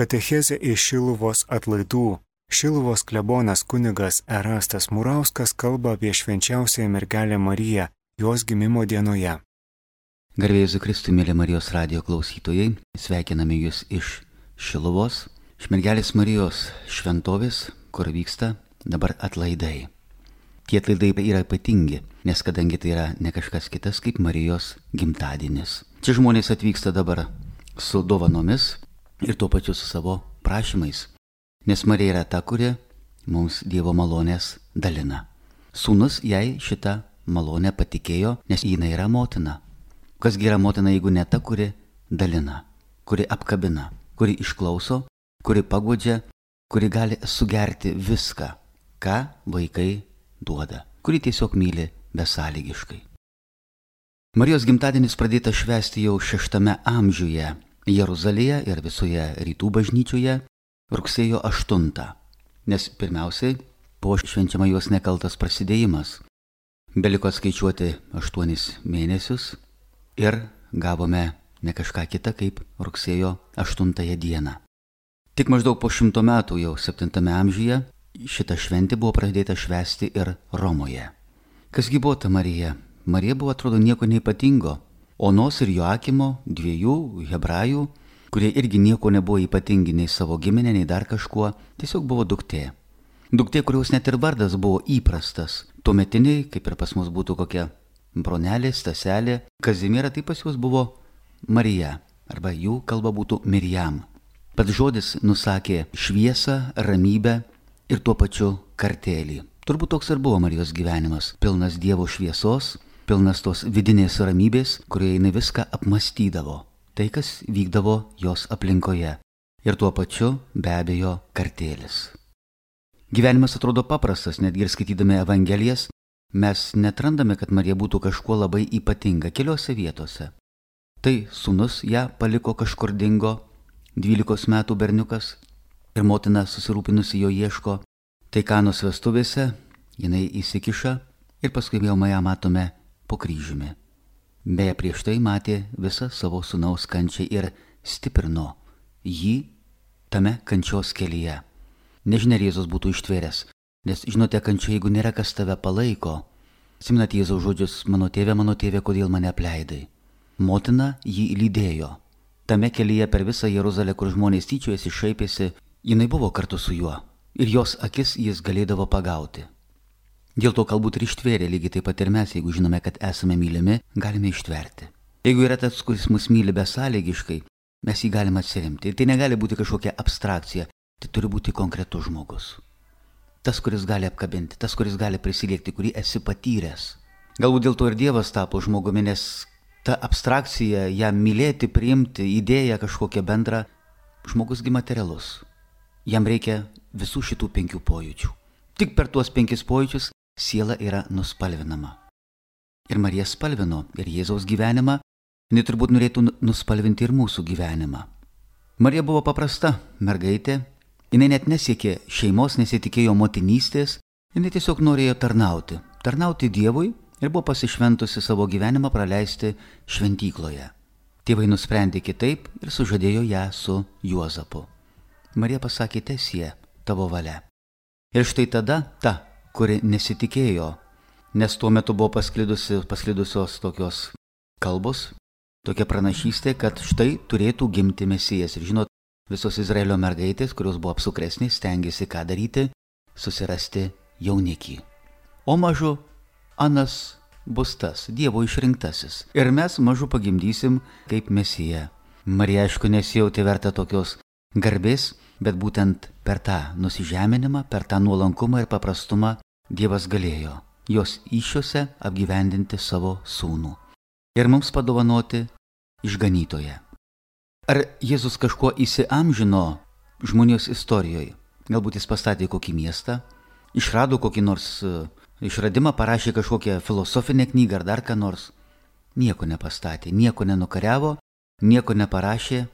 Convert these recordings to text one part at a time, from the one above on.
Katechezė iš Šiluvos atlaidų. Šiluvos klebonas kunigas Erastas Murauskas kalba apie švenčiausiąją mergelę Mariją, jos gimimo dienoje. Garbė Jėzui Kristui, mėly Marijos radijo klausytojai, sveikiname Jūs iš Šiluvos, iš mergelės Marijos šventovės, kur vyksta dabar atlaidai. Tie atlaidai yra ypatingi, nes kadangi tai yra ne kažkas kitas kaip Marijos gimtadienis. Čia žmonės atvyksta dabar su dovanomis ir tuo pačiu su savo prašymais, nes Marija yra ta, kuri mums Dievo malonės dalina. Sūnus jai šitą malonę patikėjo, nes jinai yra motina. Kasgi yra motina, jeigu ne ta, kuri dalina, kuri apkabina, kuri išklauso, kuri paguodžia, kuri gali sugerti viską, ką vaikai duoda, kuri tiesiog myli besąlygiškai. Marijos gimtadienis pradėtas švęsti jau 6 amžiuje Jeruzalėje ir visoje rytų bažnyčioje rugsėjo 8, nes pirmiausiai buvo švenčiama jos nekaltas prasidėjimas. Beliko skaičiuoti 8 mėnesius ir gavome ne kažką kitą kaip rugsėjo 8 dieną. Tik maždaug po 100 metų, jau 7 amžiuje, šita šventė buvo pradėta švęsti ir Romoje. Kasgi buvo ta Marija? Marija buvo, atrodo, nieko neypatingo. Onos ir Joakimo, 2 hebrajų, kurie irgi nieko nebuvo ypatingi nei savo giminė, nei dar kažkuo, tiesiog buvo duktė. Duktė, kurios net ir vardas buvo įprastas. Tuometiniai, kaip ir pas mus būtų kokia bronelė, Staselė, Kazimiera, tai pas juos buvo Marija, arba jų kalba būtų Mirjam. Pats žodis nusakė šviesą, ramybę ir tuo pačiu kartėlį. Turbūt toks ir buvo Marijos gyvenimas, pilnas Dievo šviesos, pilnas tos vidinės ramybės, kurioje jinai viską apmastydavo, tai kas vykdavo jos aplinkoje. Ir tuo pačiu be abejo kartėlis. Gyvenimas atrodo paprastas, netgi ir skaitydami Evangelijas, mes netrandame, kad Marija būtų kažkuo labai ypatinga keliose vietose. Tai sūnus ją paliko kažkur dingo, 12 metų berniukas, ir motina susirūpinusi jo ieško. Tai Kanos vestuvėse jinai įsikiša ir paskui vėl ją matome po kryžiumi. Beje, prieš tai matė visą savo sūnaus kančią ir stiprino jį tame kančios kelyje. Nežinia, ar Jėzus būtų ištvėręs, nes žinote, kančia, jeigu nėra kas tave palaiko. Atsimenate Jėzaus žodžius, mano tėve, kodėl mane apleidai. Motina jį lydėjo. Tame kelyje per visą Jeruzalę, kur žmonės tyčiojasi, šaipėsi, jinai buvo kartu su juo ir jos akis jis galėdavo pagauti. Dėl to galbūt ir ištvėrė, lygiai taip pat ir mes, jeigu žinome, kad esame mylimi, galime ištverti. Jeigu yra tas, kuris mus myli besąlygiškai, mes jį galime atsiremti. Tai negali būti kažkokia abstrakcija, tai turi būti konkretus žmogus. Tas, kuris gali apkabinti, tas, kuris gali prisiliekti, kurį esi patyręs. Galbūt dėl to ir Dievas tapo žmogumi, nes ta abstrakcija, ją mylėti, priimti, idėją kažkokią bendrą, žmogusgi materialus. Jam reikia visų šitų 5 pojūčių. Tik per tuos 5 pojūčius siela yra nuspalvinama. Ir Marija spalvino ir Jėzaus gyvenimą, jinai turbūt norėtų nuspalvinti ir mūsų gyvenimą. Marija buvo paprasta mergaitė, jinai net nesiekė šeimos, nesitikėjo motinystės, jinai tiesiog norėjo tarnauti Dievui ir buvo pasišventusi savo gyvenimą praleisti šventykloje. Tėvai nusprendė kitaip ir sužadėjo ją su Juozapu. Marija pasakė, teesie tavo valia. Ir štai tada ta, kuri nesitikėjo, nes tuo metu buvo pasklidusios tokios kalbos, tokia pranašystė, kad štai turėtų gimti Mesijas. Ir žinot, visos Izraelio mergaitės, kurios buvo apsukresnės, stengiasi ką daryti, susirasti jaunikį. O mažu anas bus tas, Dievo išrinktasis. Ir mes mažu pagimdysim kaip Mesiją. Marija, aišku, nesijautė verta tokios garbės, bet būtent per tą nusižeminimą, per tą nuolankumą ir paprastumą Dievas galėjo jos įsčiose apgyvendinti savo sūnų ir mums padovanoti išganytoją. Ar Jėzus kažkuo įsiamžino žmonijos istorijoje? Galbūt jis pastatė kokį miestą, išrado kokį nors išradimą, parašė kažkokią filosofinę knygą ar dar ką nors. Nieko nepastatė, nieko nenukariavo, nieko neparašė,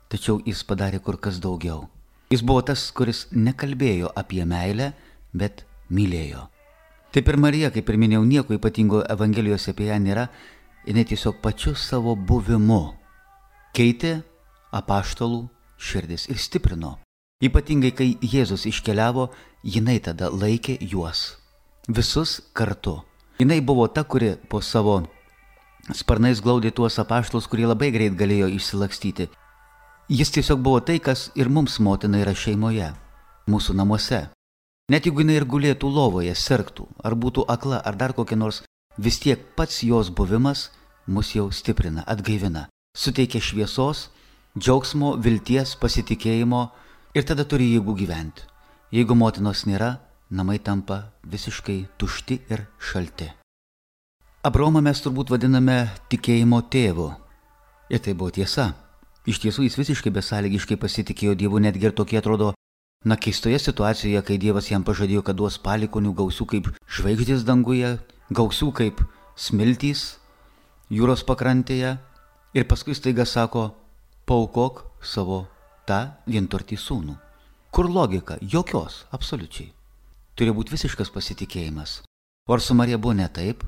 tačiau jis padarė kur kas daugiau. Jis buvo tas, kuris nekalbėjo apie meilę, bet mylėjo. Taip ir Marija, kaip ir minėjau, nieko ypatingo Evangelijose apie ją nėra, jinai tiesiog pačiu savo buvimu keitė apaštalų širdis ir stiprino. Ypatingai, kai Jėzus iškeliavo, jinai tada laikė juos. Visus kartu. Jinai buvo ta, kuri po savo sparnais glaudė tuos apaštalus, kurie labai greit galėjo išsilakstyti. Jis tiesiog buvo tai, kas ir mums motina yra šeimoje, mūsų namuose. Net jeigu jinai ir gulėtų lovoje, sirgtų, ar būtų akla, ar dar kokia nors, vis tiek pats jos buvimas mus jau stiprina, atgaivina, suteikia šviesos, džiaugsmo, vilties, pasitikėjimo ir tada turi jėgų gyventi. Jeigu motinos nėra, namai tampa visiškai tušti ir šalti. Abraomą mes turbūt vadiname tikėjimo tėvu. Ir tai buvo tiesa. Iš tiesų jis visiškai besąlygiškai pasitikėjo Dievu, netgi ir tokie atrodo, keistoje situacijoje, kai Dievas jam pažadėjo, kad duos palikonių gausių kaip žvaigždės danguje, gausių kaip smiltys jūros pakrantėje. Ir paskui staiga sako, paaukok savo tą vienturtį sūnų. Kur logika? Jokios, absoliučiai. Turi būti visiškas pasitikėjimas. O ar su Marija buvo ne taip?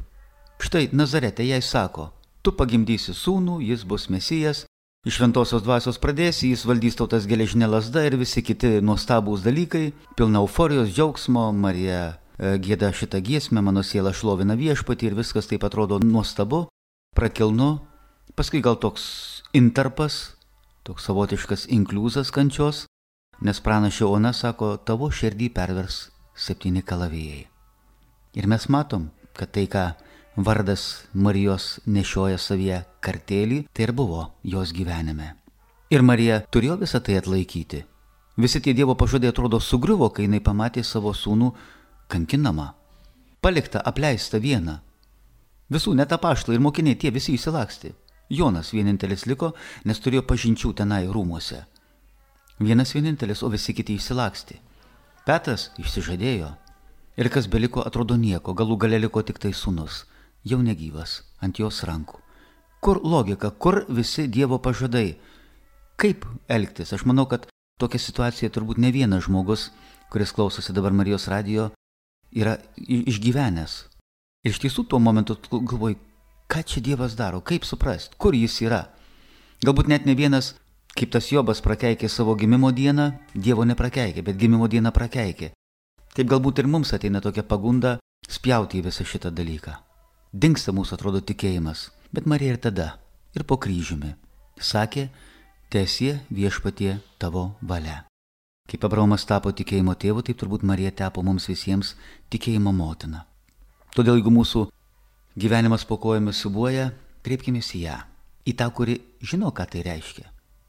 Štai Nazarete jai sako, tu pagimdysi sūnų, jis bus Mesijas, iš šventosios dvasios pradėsi, jis valdys tautas geležinė lazda ir visi kiti nuostabūs dalykai, pilna euforijos, džiaugsmo, Marija gieda šitą giesmę, mano siela šlovina viešpatį ir viskas taip atrodo nuostabu, prakilnu, paskui gal toks intarpas, toks savotiškas inkliuzas kančios, nes pranašė Ona sako, tavo širdį pervers 7 kalavijai. Ir mes matom, kad tai, ką vardas Marijos nešioja savyje kartėlį, tai ir buvo jos gyvenime. Ir Marija turėjo visą tai atlaikyti. Visi tie Dievo pažadai atrodo sugriuvo, kai jinai pamatė savo sūnų kankinamą, paliktą, apleistą vieną. Visų, net apaštalai ir mokiniai, tie visi išsilakstė. Jonas vienintelis liko, nes turėjo pažinčių tenai rūmuose. Vienas vienintelis, o visi kiti išsilakstė. Petras išsižadėjo. Ir kas beliko, atrodo nieko, galų gale liko tik tai sūnus, jau negyvas, ant jos rankų. Kur logika, kur visi Dievo pažadai? Kaip elgtis? Aš manau, kad tokia situacija turbūt ne vienas žmogus, kuris klausosi dabar Marijos radijo, yra išgyvenęs. Ir iš tiesų tuo momentu galvoju, ką čia Dievas daro, kaip suprast, kur jis yra. Galbūt net ne vienas, kaip tas Jobas prakeikė savo gimimo dieną, Dievo neprakeikė, bet gimimo dieną prakeikė. Taip galbūt ir mums ateina tokia pagunda spjauti į visą šitą dalyką. Dingsta mūsų atrodo tikėjimas, bet Marija ir tada, ir po kryžiumi, sakė, teesie viešpatie tavo valia. Kaip Abraomas tapo tikėjimo tėvu, taip turbūt Marija tapo mums visiems tikėjimo motina. Todėl jeigu mūsų gyvenimas po kojomis siūbuoja, kreipkimės į ją, į tą, kuri žino, ką tai reiškia.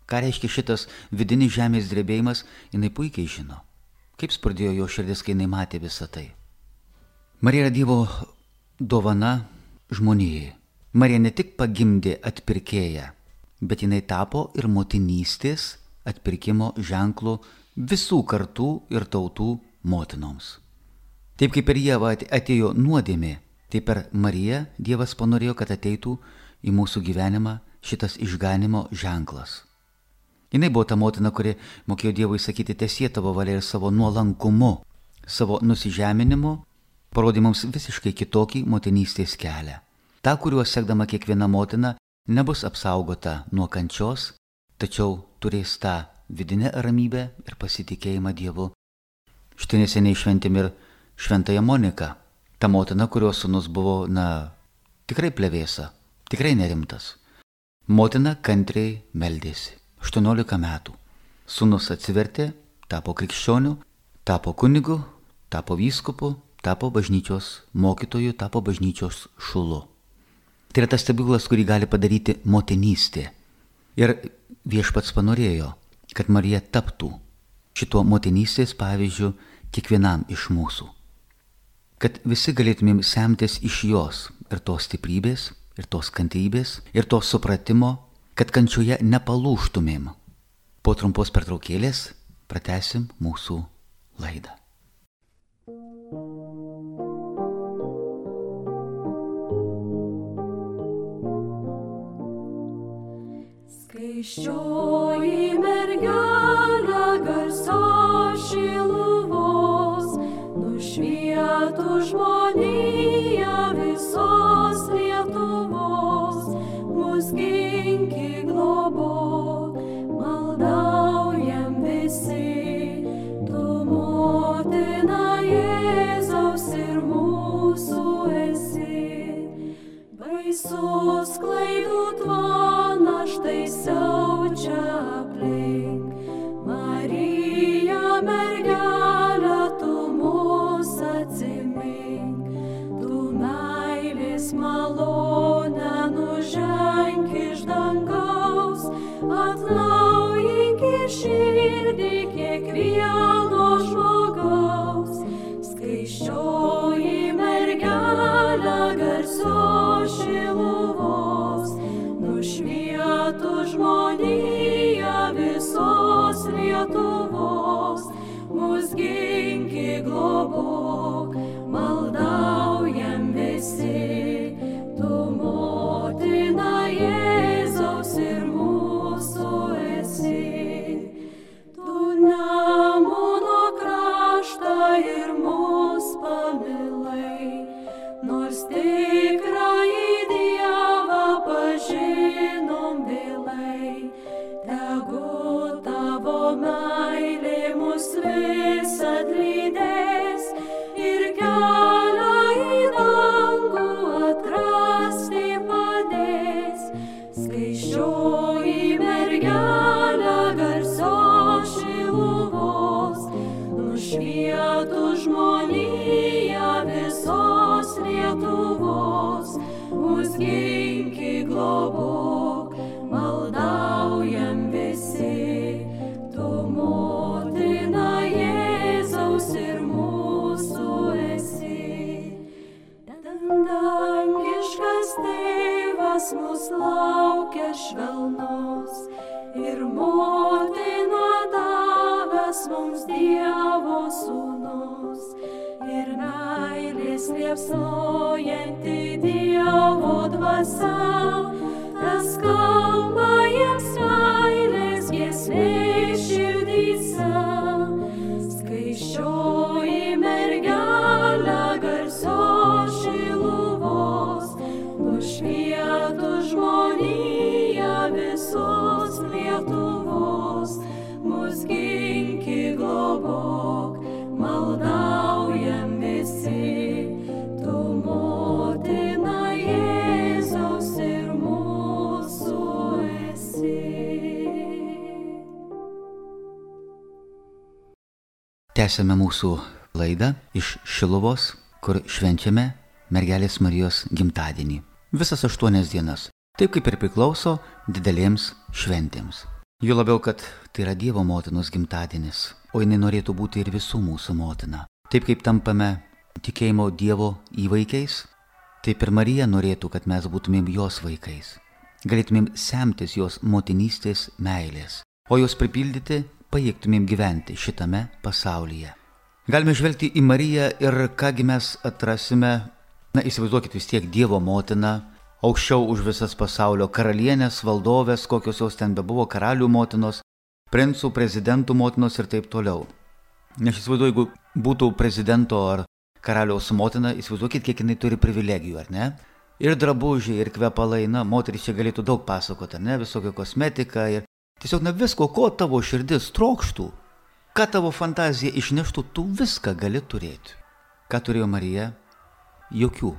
Ką reiškia šitas vidinis žemės drebėjimas, jinai puikiai žino. Kaip spurdėjo jo širdis, kai jinai matė visą tai. Marija yra Dievo dovana žmonijai. Marija ne tik pagimdė atpirkėją, bet jinai tapo ir motinystės atpirkimo ženklu visų kartų ir tautų motinoms. Taip kaip per Ievą atėjo nuodėmė, taip per Mariją Dievas panorėjo, kad ateitų į mūsų gyvenimą šitas išganimo ženklas. Jinai buvo ta motina, kuri mokėjo Dievui sakyti teesie tavo valia ir savo nuolankumu, savo nusižeminimu, parodė mums visiškai kitokį motinystės kelią. Ta, kuriuo sekdama kiekviena motina nebus apsaugota nuo kančios, tačiau turės tą vidinę ramybę ir pasitikėjimą Dievu. Štai neseniai šventėm ir šventąją Moniką, ta motina, kurios sūnus buvo, tikrai plevėsa, tikrai nerimtas. Motina kantriai meldėsi. 18 metų. Sūnus atsivertė, tapo krikščioniu, tapo kunigu, tapo vyskupu, tapo bažnyčios mokytoju, tapo bažnyčios šulu. Tai yra tas stebuklas, kurį gali padaryti motinystė. Ir Viešpats panorėjo, kad Marija taptų šituo motinystės pavyzdžiu kiekvienam iš mūsų. Kad visi galėtumėm semtis iš jos ir tos stiprybės, ir tos kantrybės, ir tos supratimo, kad kančioje nepalūžtumėm. Po trumpos pertraukėlės pratęsim mūsų laidą. Skaisčioji mergelė garsios Šiluvos, nušvietų žmoniją visos Lietuvos, mus ginki globok, maldauju susklaidų tvoną štai siaučia aplink. Marija, mergelė, tu mus atsimink, tu meilės malonę nuženk iš dangaus, atnaujink į širdį kiekvieno žmogaus. Skaisčioji mergelė garsios Šiluvos, nušvietų žmoniją visos Lietuvos, mus ginki globok, maldaujam visi, tu motina Jėzaus ir mūsų esi. Tu Nemuno kraštą ir mus pamilai, nors tikrąjį Dievą pažinom vėlai. Tegu tavo meilė mus visad lydės ir kelią į dangų atrasti padės. Skaisčioji mergelė garsios Šiluvos, nušvietų žmoniją visos Lietuvos, mus ginki globok, maldaujam visi, tu motina Jėzaus ir mūsų esi. Dangiškas tėvas mus laukia švelnus ir motina davęs mums Dievo sūnus ir meilės liepsnojanti Dievo dvasia, tas kalba jiems meilės giesmė širdyse. Skaisčioji mergelė garsios Šiluvos, nušvietų žmoniją visos Lietuvos, mus ginki globok, maldaujam visi, tu motina Jėzaus ir mūsų esi. Tęsiame mūsų laidą iš Šiluvos, kur švenčiame mergelės Marijos gimtadienį. Visas 8 dienas, taip kaip ir priklauso didelėms šventėms. Jo labiau, kad tai yra Dievo motinos gimtadienis, o jinai norėtų būti ir visų mūsų motina. Taip kaip tampame tikėjimo Dievo įvaikiais, taip ir Marija norėtų, kad mes būtumėm jos vaikais. Galėtumėm semtis jos motinystės meilės, o jos pripildyti pajėgtumėm gyventi šitame pasaulyje. Galime žvelgti į Mariją ir kągi mes atrasime, įsivaizduokit vis tiek Dievo motiną, aukščiau už visas pasaulio karalienės, valdovės, kokios jos ten bebuvo, karalių motinos, princų, prezidentų motinos ir taip toliau. Nes įsivaizduoju, jeigu būtų prezidento ar karaliaus motina, įsivaizduokit, kiek jinai turi privilegijų, ar ne? Ir drabužiai, ir kvepalai, moteris čia galėtų daug pasakoti, ar ne? Visokia kosmetika ir tiesiog visko, ko tavo širdis trokštų, ką tavo fantazija išneštų, tu viską gali turėti. Ką turėjo Marija? Jokių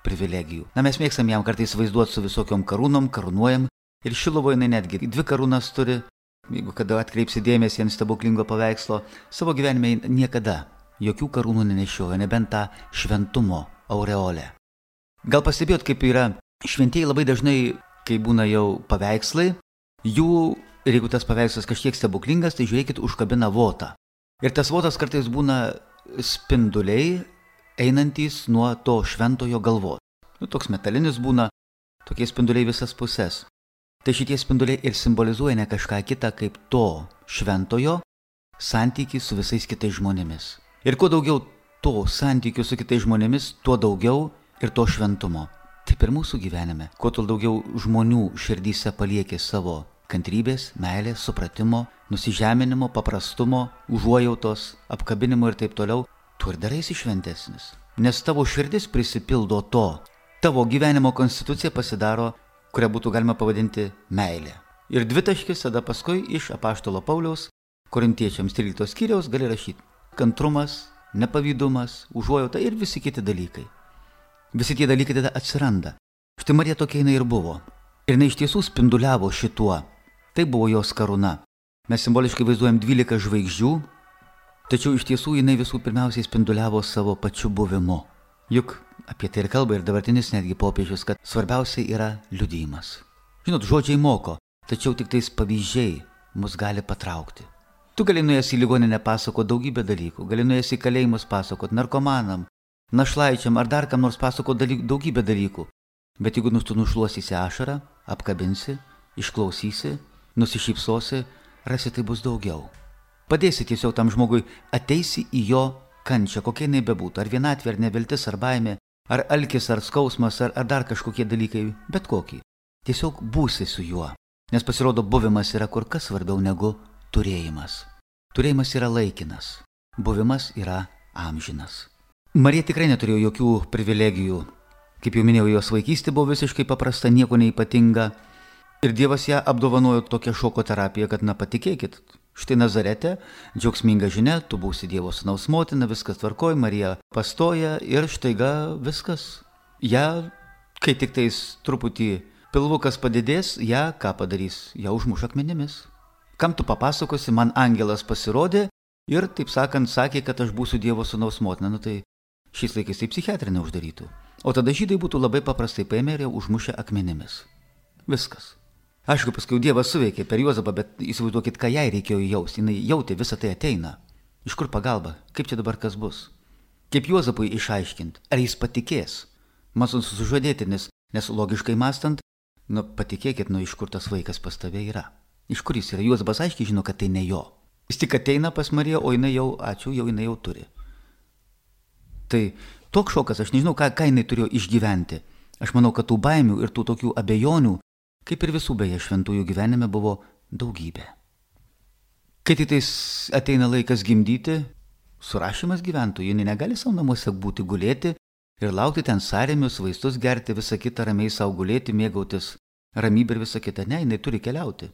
privilegijų. Mes mėgstam jam kartais vaizduoti su visokiom karūnom, karūnuojam ir Šiluvoje jinai netgi 2 karūnas turi. Jeigu kada atkreipsi dėmesį ant stebuklingo paveikslo, savo gyvenime niekada jokių karūnų nenešiojo, nebent tą šventumo aureolę. Gal pastebėjot, kaip yra šventieji labai dažnai, kai būna jau paveikslai, jų, ir jeigu tas paveikslas kažkiek stebuklingas, tai žiūrėkit, užkabina votą. Ir tas votas kartais būna spinduliai, einantys nuo to šventojo galvos. Toks metalinis būna, tokie spinduliai visas pusės. Tai šitie spinduliai ir simbolizuoja ne kažką kitą kaip to šventojo santykį su visais kitais žmonėmis. Ir kuo daugiau to santykių su kitais žmonėmis, tuo daugiau ir to šventumo. Taip ir mūsų gyvenime. Kuo daugiau žmonių širdyse palieki savo kantrybės, meilės, supratimo, nusižeminimo, paprastumo, užuojautos, apkabinimo ir taip toliau, tu ir daraisi šventesnis. Nes tavo širdis prisipildo to. Tavo gyvenimo konstitucija pasidaro, kurią būtų galima pavadinti meilė. Ir 2 taškis tada paskui iš apaštalo Pauliaus, Korintiečiams 13 skyriaus gali rašyti kantrumas, nepavydumas, užuojauta ir visi kiti dalykai. Visi tie dalykai tada atsiranda. Štai Marija tokia jinai ir buvo. Ir jinai iš tiesų spinduliavo šituo. Tai buvo jos karūna. Mes simboliškai vaizduojam 12 žvaigždžių, tačiau iš tiesų jinai visų pirmiausiai spinduliavo savo pačiu buvimu. Juk apie tai ir kalba ir dabartinis netgi popiežius, kad svarbiausia yra liudijimas. Žinot, žodžiai moko, tačiau tik tais pavyzdžiai mus gali patraukti. Tu gali nuėjęs į ligoninę pasakoti daugybę dalykų, gali nuėjęs į kalėjimus pasakoti narkomanam, našlaičiam ar dar kam nors pasakoti daugybę dalykų. Bet jeigu tu nušluosysi ašarą, apkabinsi, išklausysi, nusišypsosi, rasi tai bus daugiau. Padėsi tiesiog tam žmogui, ateisi į jo kančią, kokia jinai bebūtų, ar vienatvė, ar neviltis, ar baimė, ar alkis, ar skausmas, ar dar kažkokie dalykai, bet kokį. Tiesiog būsi su juo, nes pasirodo buvimas yra kur kas svarbiau negu turėjimas. Turėjimas yra laikinas, buvimas yra amžinas. Marija tikrai neturėjo jokių privilegijų. Kaip jau minėjau, jos vaikystė buvo visiškai paprasta, nieko neypatinga. Ir Dievas ją apdovanojo tokią šoko terapiją, kad patikėkit, štai Nazarete, džiaugsminga žinia, tu būsi Dievo sūnaus motina, viskas tvarkoj, Marija pastoja ir štaiga viskas. Ja, kai tik tais truputį pilvukas padidės, ją ką padarys? Ją užmuš akmenimis. Kam tu papasakosi, man angelas pasirodė ir, taip sakant, sakė, kad aš būsiu Dievo sūnaus motina. Tai šiais laikais tai psichiatrinė uždarytų. O tada žydai būtų labai paprastai paėmę ir užmušę akmenimis. Viskas. Aišku, paskui Dievas suveikė per Juozapą, bet įsivaizduokit, ką jai reikėjo jausti. Jis jautė, visą tai ateina. Iš kur pagalba? Kaip čia dabar kas bus? Kaip Juozapui išaiškinti? Ar jis patikės? Man sužadėtinis, nes logiškai mąstant, patikėkit, iš kur tas vaikas pas tave yra. Iš kur jis yra? Juozapas aiškiai žino, kad tai ne jo. Jis tik ateina pas Mariją, o jinai jau, jinai jau turi. Tai toks šokas, aš nežinau, ką jinai turėjo išgyventi. Aš manau, kad tų baimių ir tų tokių abejonių, kaip ir visų beje šventųjų gyvenime, buvo daugybė. Kai tik tais ateina laikas gimdyti, surašymas gyventojų, jinai negali savo namuose būti gulėti ir laukti ten sąrėmius, vaistus gerti, visą kitą ramiai savo gulėti, mėgautis ramybę ir visą kitą. Ne, jinai turi keliauti.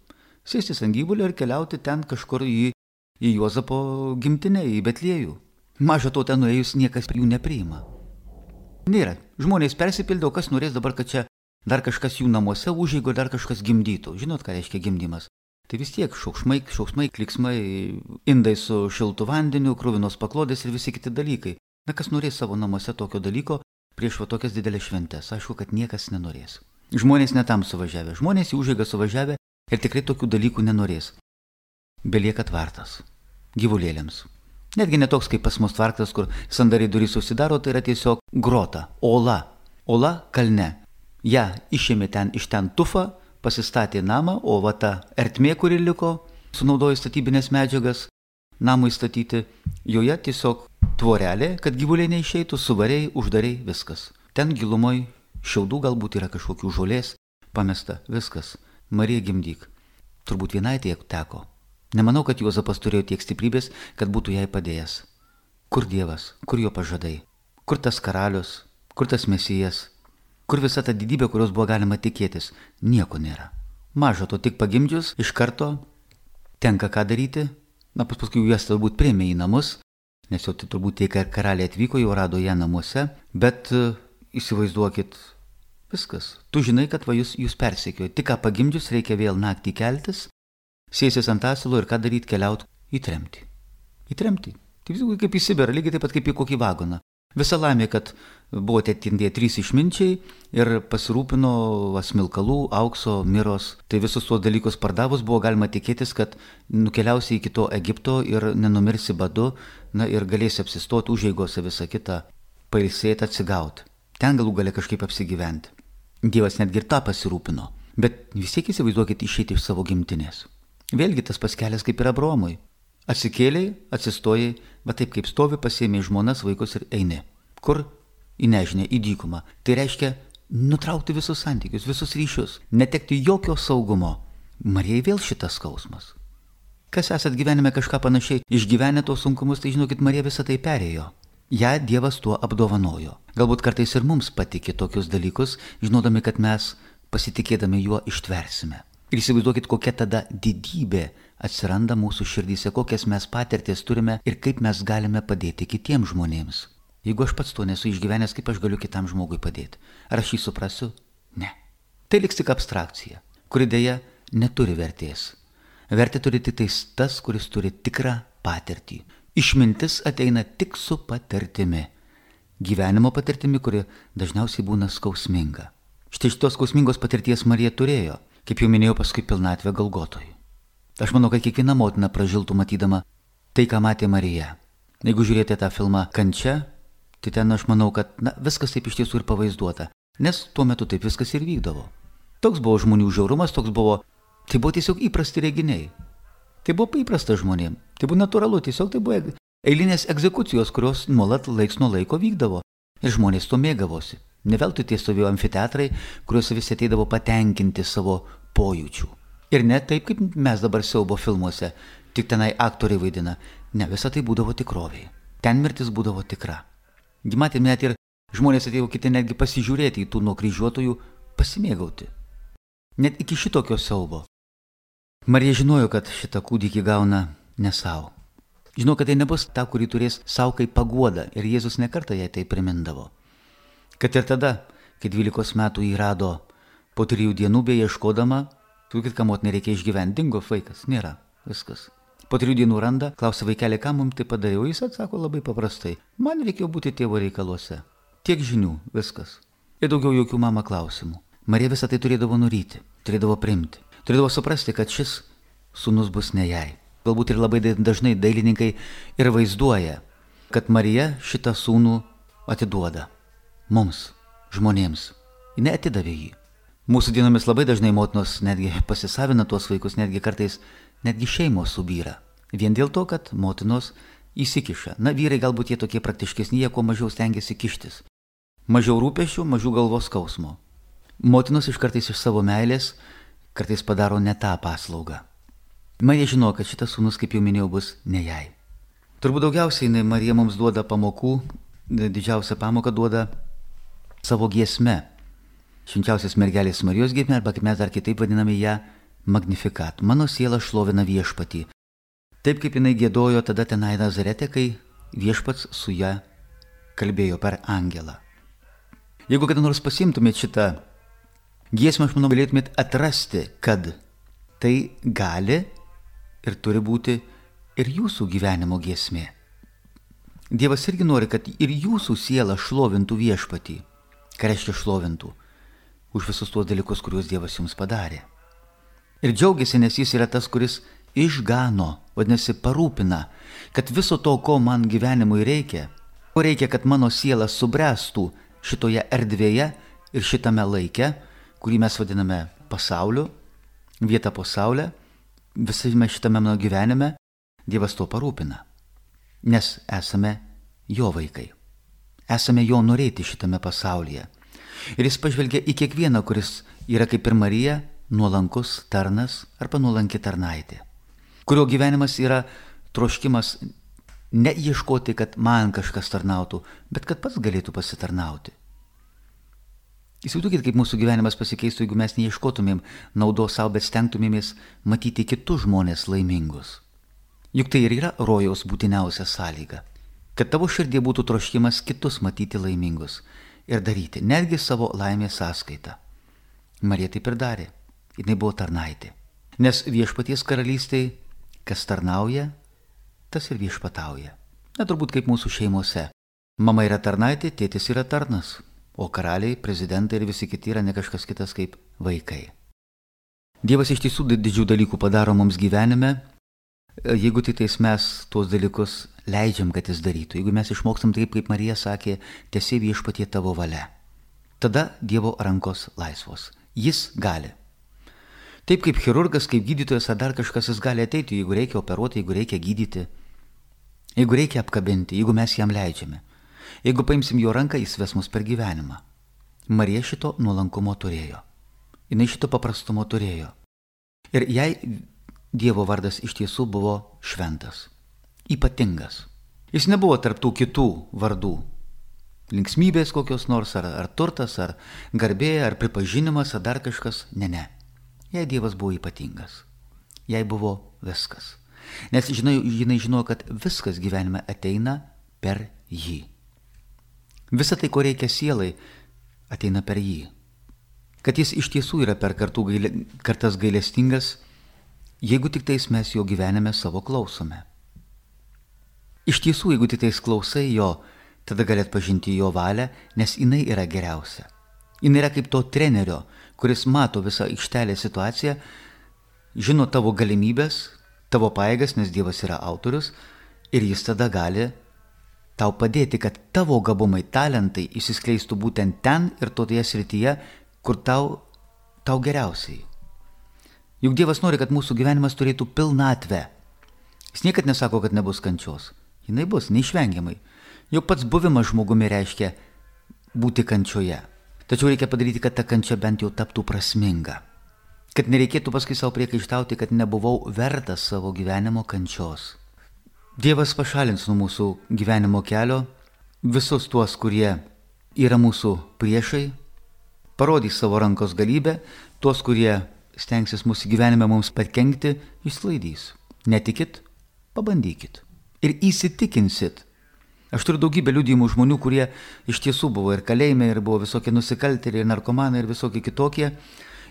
Sėstis ant gyvulio ir keliauti ten kažkur į Juozapo gimtinę, į Betliejų. Maža to ten nuėjus niekas jų nepriima. Nėra. Žmonės persipildė, o kas norės dabar, kad čia dar kažkas jų namuose užeigo, dar kažkas gimdytų. Žinot, ką reiškia gimdymas? Tai vis tiek šauksmai, kliksmai, indai su šiltu vandeniu, kruvinos paklodės ir visi kiti dalykai. Na, kas norės savo namuose tokio dalyko prieš tokias didelės šventės? Aišku, kad niekas nenorės. Žmonės netam suvažiavę. Žmonės į užeigą suvažiavę ir tikrai tokių dalykų nenorės. Belieka tvartas. Gyvulėliams. Netgi netoks kaip pas mus tvartas, kur sandariai durys užsidaro, tai yra tiesiog grota, ola. Ola kalne. Ja išėmė iš ten tufą, pasistatė namą, o va ta ertmė, kuri liko, sunaudojo statybinės medžiagas, namui statyti, joje tiesiog tvorelė, kad gyvuliai neišeitų, suvariai, uždariai, viskas. Ten gilumoj šiaudų galbūt yra kažkokių žolės, pamesta, viskas. Marija gimdyk. Turbūt vienai tiek teko. Nemanau, kad Juozapas turėjo tiek stiprybės, kad būtų jai padėjęs. Kur Dievas, kur jo pažadai, kur tas karalius, kur tas mesijas, kur visa ta didybė, kurios buvo galima tikėtis, nieko nėra. Maža to, tik pagimdžius, iš karto tenka ką daryti, paskui juos turbūt priėmė į namus, nes jau tai turbūt tai, kad karaliai atvyko, jau rado ją namuose, bet įsivaizduokit, viskas. Tu žinai, kad jūs persekiojo, tik ką pagimdžius reikia vėl naktį keltis, sėsis ant asilo ir ką daryti, keliauti į tremtį. Į tremtį. Tai vis kaip į Sibirą, lygiai taip pat kaip į kokį vagoną. Visa laimė, kad buvo tie 3 išminčiai ir pasirūpino smilkalų, aukso, miros. Tai visus tuos dalykus pardavus buvo galima tikėtis, kad nukeliausi iki to Egipto ir nenumirsi badu, ir galėsi apsistoti užeigose visą kitą, pailsėti, atsigauti. Ten galų gali kažkaip apsigyventi. Dievas netgi ir tą pasirūpino. Bet vis tiek įsivaizduokit išeiti iš savo gimtinės. Vėlgi tas paskelės kaip ir Abraomui. Atsikėliai, atsistojai, bet taip kaip stovi, pasiėmė žmonas, vaikus ir eini. Kur? Į nežinę, į dykumą. Tai reiškia nutraukti visus santykius, visus ryšius, netekti jokio saugumo. Marijai vėl šitas skausmas. Kas esat gyvenime kažką panašiai išgyvenę tos sunkumus, tai žinokit, Marija visą tai perėjo. Ja Dievas tuo apdovanojo. Galbūt kartais ir mums patikė tokius dalykus, žinodami, kad mes pasitikėdami juo ištversime. Ir įsivaizduokit, kokia tada didybė atsiranda mūsų širdyse, kokias mes patirties turime ir kaip mes galime padėti kitiems žmonėms. Jeigu aš pats to nesu išgyvenęs, kaip aš galiu kitam žmogui padėti? Ar aš jį suprasiu? Ne. Tai liks tik abstrakcija, kuri dėja neturi vertės. Vertė turi tik tas, kuris turi tikrą patirtį. Išmintis ateina tik su patirtimi. Gyvenimo patirtimi, kuri dažniausiai būna skausminga. Štai šitos skausmingos patirties Marija turėjo, kaip jau minėjau, paskui pilnatvę Golgotoj. Aš manau, kad kiekviena motina pražiltų matydama tai, ką matė Marija. Jeigu žiūrėjote tą filmą Kančia, tai ten aš manau, kad viskas taip iš tiesų ir pavaizduota, nes tuo metu taip viskas ir vykdavo. Toks buvo žmonių žiaurumas, tai buvo tiesiog įprasti reginiai. Tai buvo įprasta žmonėm, tai buvo natūralu, tiesiog tai buvo eilinės egzekucijos, kurios nuolat laiks nuo laiko vykdavo. Ir žmonės to mėgavosi. Ne veltui tie stovėjo amfiteatrai, kuriuose visi ateidavo patenkinti savo pojūčių. Ir ne taip, kaip mes dabar siaubo filmuose, tik tenai aktoriai vaidina. Ne, visa tai būdavo tikroviai. Ten mirtis būdavo tikra. Matėm, net ir žmonės atėjo kiti netgi pasižiūrėti į tų nukryžiuotojų, pasimėgauti. Net iki šitokio siaubo. Marija žinojo, kad šitą kūdikį gauna ne savo. Žinau, kad tai nebus ta, kurį turės savo kaip paguoda, ir Jėzus nekartą jai tai primindavo. Kad ir tada, kai 12 metų jį rado po 3 dienų beieškodama, kad ką motinai reikia išgyventi, dingo vaikas, nėra, viskas. Po 3 dienų randa, klausia vaikelį, ką mums tai padariau, jis atsako labai paprastai, man reikėjo būti tėvo reikaluose. Tiek žinių, viskas. Ir daugiau jokių mama klausimų. Marija visą tai turėdavo nuryti, turėdavo priimti, turėdavo suprasti, kad šis sūnus bus ne jai. Galbūt ir labai dažnai dailininkai ir vaizduoja, kad Marija šitą sūnų atiduoda mums, žmonėms. Ji neatidavė jį. Mūsų dienomis labai dažnai motinos netgi pasisavina tuos vaikus, netgi kartais netgi šeimos subyra. Vien dėl to, kad motinos įsikiša. Vyrai galbūt jie tokie praktiškesni, jie kuo mažiau stengiasi kištis. Mažiau rūpesčių, mažiau galvos skausmo. Motinos kartais iš savo meilės kartais padaro ne tą paslaugą. Marija žino, kad šitas sūnus, kaip jau minėjau, bus ne jai. Turbūt daugiausiai Marija mums duoda pamokų, didžiausią pamoką duoda savo giesme. Švenčiausios mergelės Marijos giesmė, arba kaip mes dar kitaip vadiname ją Magnificat. Mano siela šlovina viešpatį. Taip kaip jinai giedojo tada tenai Nazarete, kai viešpats su ją kalbėjo per angelą. Jeigu kada nors pasimtumėt šitą giesmę, aš manau, galėtumėt atrasti, kad tai gali ir turi būti ir jūsų gyvenimo giesmė. Dievas irgi nori, kad ir jūsų siela šlovintų viešpatį. Ką reiškia šlovintų? Už visus tuos dalykus, kuriuos Dievas jums padarė. Ir džiaugiasi, nes jis yra tas, kuris išgano, vadinasi, parūpina, kad viso to, ko man gyvenimui reikia, ko reikia, kad mano siela subręstų šitoje erdvėje ir šitame laike, kurį mes vadiname pasauliu, vieta po saulę, visame šitame mano gyvenime, Dievas to parūpina. Nes esame jo vaikai. Esame jo norėti šitame pasaulyje. Ir jis pažvelgia į kiekvieną, kuris yra kaip ir Marija, nuolankus tarnas arba nuolanki tarnaitė, kurio gyvenimas yra troškimas ne ieškoti, kad man kažkas tarnautų, bet kad pats galėtų pasitarnauti. Įsivaizduokit, kaip mūsų gyvenimas pasikeistų, jeigu mes neieškotumėm naudos savo, bet stengtumėmės matyti kitus žmonės laimingus. Juk tai ir yra rojaus būtiniausia sąlyga, kad tavo širdie būtų troškimas kitus matyti laimingus ir daryti, netgi savo laimės sąskaitą. Marija taip ir darė, jinai buvo tarnaitė. Nes viešpaties karalystėj, kas tarnauja, tas ir viešpatauja. Turbūt kaip mūsų šeimose. Mama yra tarnaitė, tėtis yra tarnas. O karaliai, prezidentai ir visi kiti yra ne kažkas kitas kaip vaikai. Dievas iš tiesų didžių dalykų padaro mums gyvenime, jeigu tik tais mes tuos dalykus leidžiam, kad jis darytų. Jeigu mes išmokstam taip, kaip Marija sakė, tiesie viešpatie tavo valia. Tada Dievo rankos laisvos. Jis gali. Taip kaip chirurgas, kaip gydytojas ar dar kažkas, jis gali ateiti, jeigu reikia operuoti, jeigu reikia gydyti, jeigu reikia apkabinti, jeigu mes jam leidžiame. Jeigu paimsim jo ranką, jis ves mus per gyvenimą. Marija šito nuolankumo turėjo. Jinai šito paprastumo turėjo. Ir jai Dievo vardas iš tiesų buvo šventas, ypatingas. Jis nebuvo tarp tų kitų vardų. Linksmybės kokios nors, ar turtas, ar garbė, ar pripažinimas, ar dar kažkas. Ne. Jai Dievas buvo ypatingas. Jai buvo viskas. Nes jinai žinojo, kad viskas gyvenime ateina per jį. Visa tai, ko reikia sielai, ateina per jį. kad jis iš tiesų yra per kartas gailestingas, jeigu tik tais mes jo gyvenime savo klausome. Iš tiesų, jeigu tik tais klausai jo, tada gali atpažinti jo valią, nes jinai yra geriausia. Jinai yra kaip to trenerio, kuris mato visą aikštelės situaciją, žino tavo galimybės, tavo pajėgas, nes Dievas yra autorius, ir jis tada gali tau padėti, kad tavo gabumai, talentai išsiskleistų būtent ten ir toje srityje, kur tau geriausiai. Juk Dievas nori, kad mūsų gyvenimas turėtų pilnatvę. Jis niekad nesako, kad nebus kančios. Jinai bus, neišvengiamai. Jau pats buvimas žmogumi reiškia būti kančioje. Tačiau reikia padaryti, kad ta kančia bent jau taptų prasminga. Kad nereikėtų paskui savo priekaištauti, kad nebuvau vertas savo gyvenimo kančios. Dievas pašalins nuo mūsų gyvenimo kelio visus tuos, kurie yra mūsų priešai, parodys savo rankos galybę, tuos, kurie stengsis mūsų gyvenime mums pakenkti, išsklaidys. Netikit, pabandykit. Ir įsitikinsit. Aš turiu daugybę liudijimų žmonių, kurie iš tiesų buvo ir kalėjime, ir buvo visokie nusikaltėliai, ir narkomanai, ir visokie kitokie.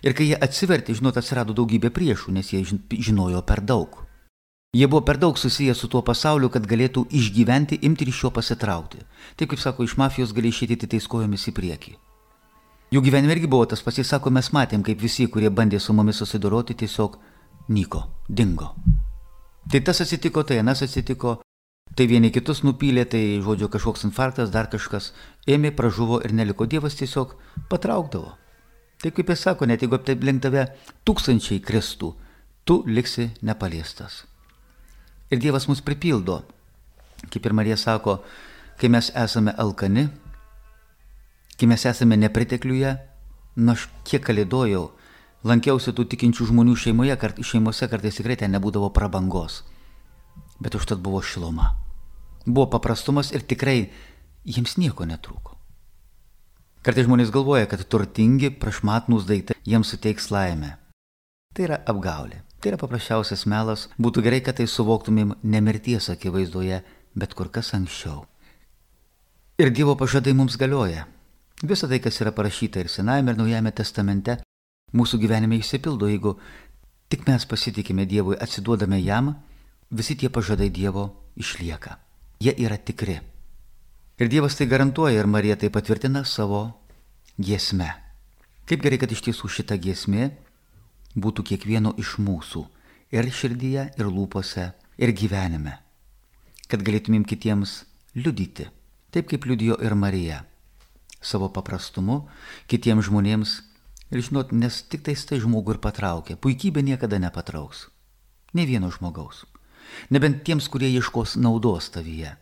Ir kai jie atsivertė, atsirado daugybė priešų, nes jie žinojo per daug. Jie buvo per daug susiję su tuo pasauliu, kad galėtų išgyventi, imti ir iš jo pasitraukti. Taip kaip sako, iš mafijos gali išėti tais kojomis į priekį. Jų gyvenime irgi buvo tas pats, jis sako, mes matėm, kaip visi, kurie bandė su mumis susidoroti, tiesiog nyko, dingo. Tai tas atsitiko, tai anas atsitiko, tai vieni kitus nupylė, tai žodžiu kažkoks infarktas, dar kažkas ėmė, pražuvo ir neliko. Dievas tiesiog patraukdavo. Tai kaip jis sako, net jeigu aplink tave 1000 kristų, tu liksi nepaliestas. Ir Dievas mus pripildo. Kaip ir Marija sako, kai mes esame alkani, kai mes esame nepritekliuje, aš kiek kalėdojau, lankiausi tų tikinčių žmonių šeimose kartais tikrai ten nebūdavo prabangos. Bet užtat buvo šiluma. Buvo paprastumas ir tikrai jiems nieko netrūko. Kartais žmonės galvoja, kad turtingi, prašmatnūs daiktai jiems suteiks laimę. Tai yra apgaulė. Tai yra paprasčiausias melas. Būtų gerai, kad tai suvoktumėm ne mirties akivaizdoje, bet kur kas anksčiau. Ir Dievo pažadai mums galioja. Visa tai, kas yra parašyta ir Senajame, ir Naujame testamente, mūsų gyvenime išsipildo, jeigu tik mes pasitikime Dievui, atsiduodame jam, visi tie pažadai Dievo išlieka. Jie yra tikri. Ir Dievas tai garantuoja, ir Marija tai patvirtina savo giesme. Kaip gerai, kad iš tiesų šita giesmė būtų kiekvieno iš mūsų, ir širdyje, ir lūpose, ir gyvenime. Kad galėtumėm kitiems liudyti, taip kaip liudijo ir Marija, savo paprastumu, kitiems žmonėms, ir žinot, nes tik tai žmogų ir patraukia, puikybė niekada nepatrauks, ne vieno žmogaus, nebent tiems, kurie ieškos naudos tavyje.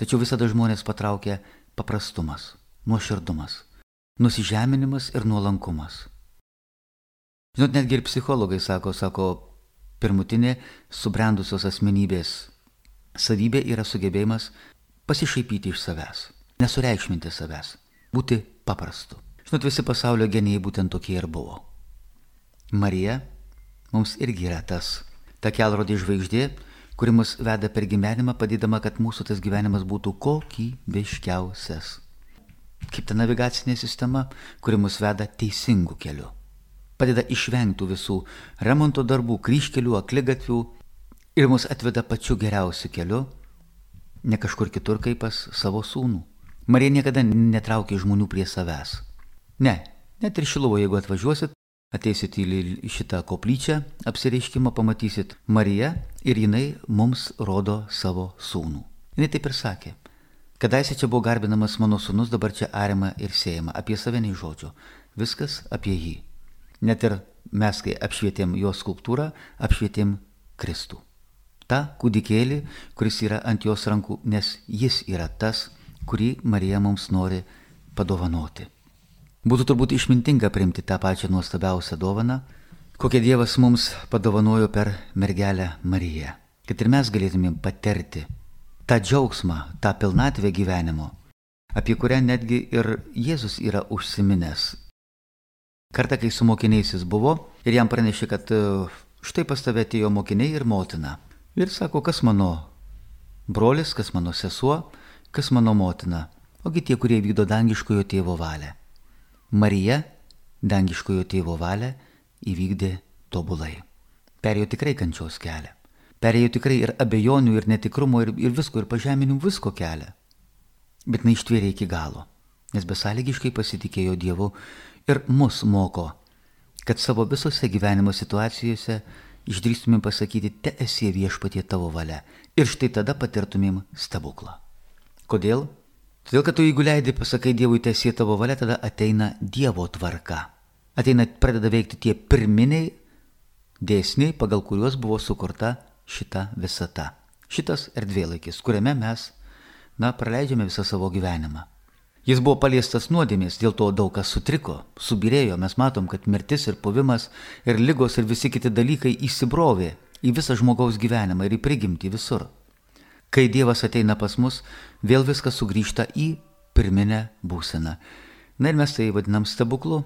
Tačiau visada žmonės patraukia paprastumas, nuoširdumas, nusižeminimas ir nuolankumas. Žinot, netgi ir psichologai sako, pirmutinė subrendusios asmenybės savybė yra sugebėjimas pasišaipyti iš savęs, nesureikšminti savęs, būti paprastu. Žinot, visi pasaulio genijai būtent tokie ir buvo. Marija mums irgi yra ta kelrodė žvaigždė, kuri mus veda per gyvenimą, padėdama, kad mūsų tas gyvenimas būtų kokybiškiausias. Kaip ta navigacinė sistema, kuri mus veda teisingu keliu. Padeda išvengti visų remonto darbų, kryžkelių, akligatvių ir mus atveda pačiu geriausiu keliu, ne kažkur kitur kaip pas savo sūnų. Marija niekada netraukė žmonių prie savęs. Ne, net ir Šiluvoje, jeigu atvažiuosit, ateisit į šitą koplyčią, apsireiškimą, pamatysit Mariją ir jinai mums rodo savo sūnų. Jinai taip ir sakė. Kadaise čia buvo garbinamas mano sūnus, dabar čia ariama ir siejama. Apie save nei žodžio. Viskas apie jį. Net ir mes, kai apšvietėm jo skulptūrą, apšvietėm Kristų. Ta kūdikėlį, kuris yra ant jos rankų, nes jis yra tas, kurį Marija mums nori padovanoti. Būtų turbūt išmintinga priimti tą pačią nuostabiausią dovaną, kokią Dievas mums padovanojo per mergelę Mariją. Kad ir mes galėtumėm patirti tą džiaugsmą, tą pilnatvę gyvenimo, apie kurią netgi ir Jėzus yra užsiminęs. Kartą, kai su mokiniais jis buvo ir jam pranešė, kad štai pas tave atėjo mokiniai ir motina. Ir sako, kas mano brolis, kas mano sesuo, kas mano motina, ogi tie, kurie vykdo dangiškojo tėvo valią. Marija dangiškojo tėvo valią įvykdė tobulai. Perėjo tikrai kančios kelią. Perėjo tikrai ir abejonių, ir netikrumo, ir visko, ir pažeminimų visko kelią. Bet neištvėrė iki galo, nes besąlygiškai pasitikėjo Dievu ir mus moko, kad savo visose gyvenimo situacijose išdrįstumėm pasakyti, te esie viešpatie tavo valia. Ir štai tada patirtumėm stebuklą. Kodėl? Todėl, kad tu jeigu leidai pasakai Dievui, te esie tavo valia, tada ateina Dievo tvarka. Pradeda veikti tie pirminiai dėsniai, pagal kuriuos buvo sukurta šita visata. Šitas erdvėlaikis, kuriame mes, praleidžiame visą savo gyvenimą. Jis buvo paliestas nuodėmės, dėl to daug kas sutriko, subirėjo. Mes matom, kad mirtis ir puvimas ir ligos ir visi kiti dalykai įsibrovė į visą žmogaus gyvenimą ir į prigimtį visur. Kai Dievas ateina pas mus, vėl viskas sugrįžta į pirminę būseną. Ir mes tai vadinam stebuklu,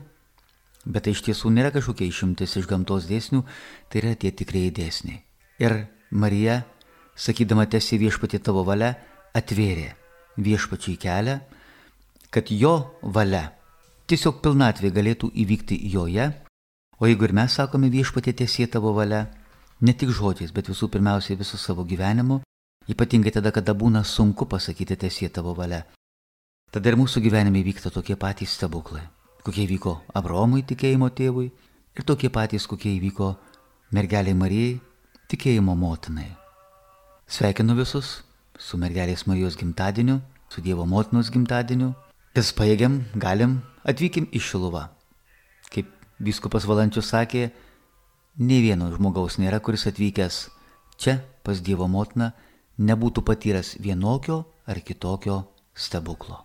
bet tai iš tiesų nėra kažkokia išimtis iš gamtos dėsnių, tai yra tie tikrieji dėsniai. Ir Marija, sakydama teesie viešpatie tavo valia, atvėrė viešpačiai kelią, kad jo valia tiesiog pilnatvė galėtų įvykti joje, o jeigu ir mes sakome viešpatie teesie tavo valia, ne tik žodžiais, bet visų pirmiausiai visų savo gyvenimu, ypatingai tada, kada būna sunku pasakyti teesie tavo valia, tada ir mūsų gyvenime vyksta tokie patys stebuklai, kokie įvyko Abraomui tikėjimo tėvui ir tokie patys, kokie įvyko mergeliai Marijai tikėjimo motinai. Sveikinu visus su mergelės Marijos gimtadieniu, su Dievo motinos gimtadieniu. Kas pajėgiam, galim, atvykim į Šiluvą. Kaip vyskupas Valančius sakė, nei vieno žmogaus nėra, kuris atvykęs čia pas Dievo motiną nebūtų patyręs vienokio ar kitokio stebuklo.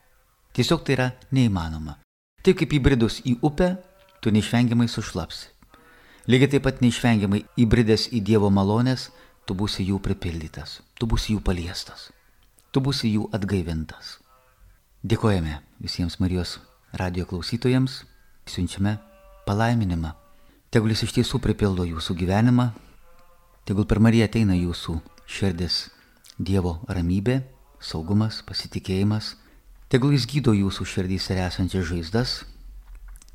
Tiesiog tai yra neįmanoma. Taip kaip įbridus į upę, tu neišvengiamai sušlapsi. Lygiai taip pat neišvengiamai įbridęs į Dievo malonės, tu būsi jų pripildytas, tu būsi jų paliestas, tu būsi jų atgaivintas. Dėkojame visiems Marijos radijo klausytojams, siunčiame palaiminimą. Tegul jis iš tiesų pripildo jūsų gyvenimą, tegul per Mariją ateina jūsų širdis Dievo ramybė, saugumas, pasitikėjimas, tegul jis gydo jūsų širdys ir esančias žaizdas,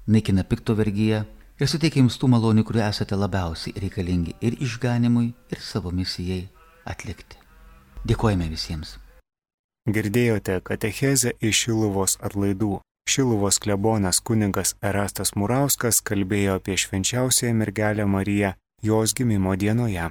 naikina pikto vergiją ir suteikia jums tų malonių, kurių esate labiausiai reikalingi ir išganimui, ir savo misijai atlikti. Dėkojame visiems. Girdėjote katechezę iš Šiluvos atlaidų. Šiluvos klebonas kunigas Erastas Murauskas kalbėjo apie švenčiausiąją mergelę Mariją jos gimimo dienoje.